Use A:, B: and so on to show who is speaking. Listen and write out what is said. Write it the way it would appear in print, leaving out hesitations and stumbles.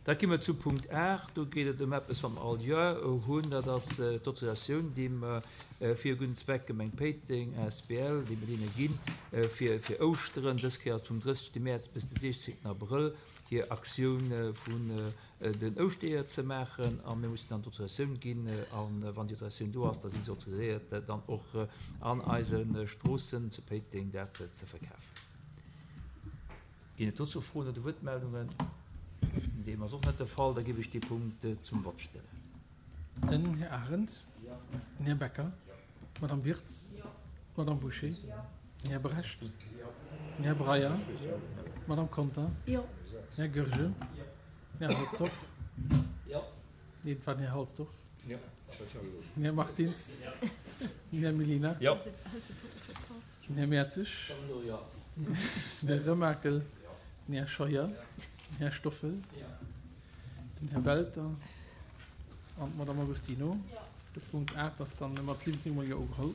A: Da gi mer zu Punkt 8. Do geet et ëm eppes, wat mer all Joer hunn. Dat ass d'Autorisatioun, déi mer fir e gudden Zweck, Gemeng Péiteng asbl, déi mer deene ginn, fir fir Ouschteren, dës Kéier ass et vum 30. Mäerz bis de 16. Abrëll, hir Aktioun vun den Ouschteeër ze maachen. A mir mussen dann d'Autorisatioun ginn. A wann déi Autorisatioun do ass, da si se autoriséiert, dann och an eise Stroossen zu Péiteng dat ze verkafen. Ginn et dozou Froen oder Wuertmeldungen? Deem ass och net de Fall. Da géif ech dee Punkt zum Vott stellen.
B: Den Här Arendt. Den Här Becker. D'Madame Wirtz. D'Madame Bouché. Den Här Brecht. Den Här Breyer. D'Madame Conter. Den Här Goergen. Den Här Halsdorf. Nee, et war den Här Halsdorf. Den Här Martins. Den Här Mellina. Den Här Mertzig. Den Här Remakel. Den Här Scheuer. Den Här Stoffel. Den Här Welter an d'Madame Agostino. De Punkt 8 ass dann mat 17 mol Jo ugeholl.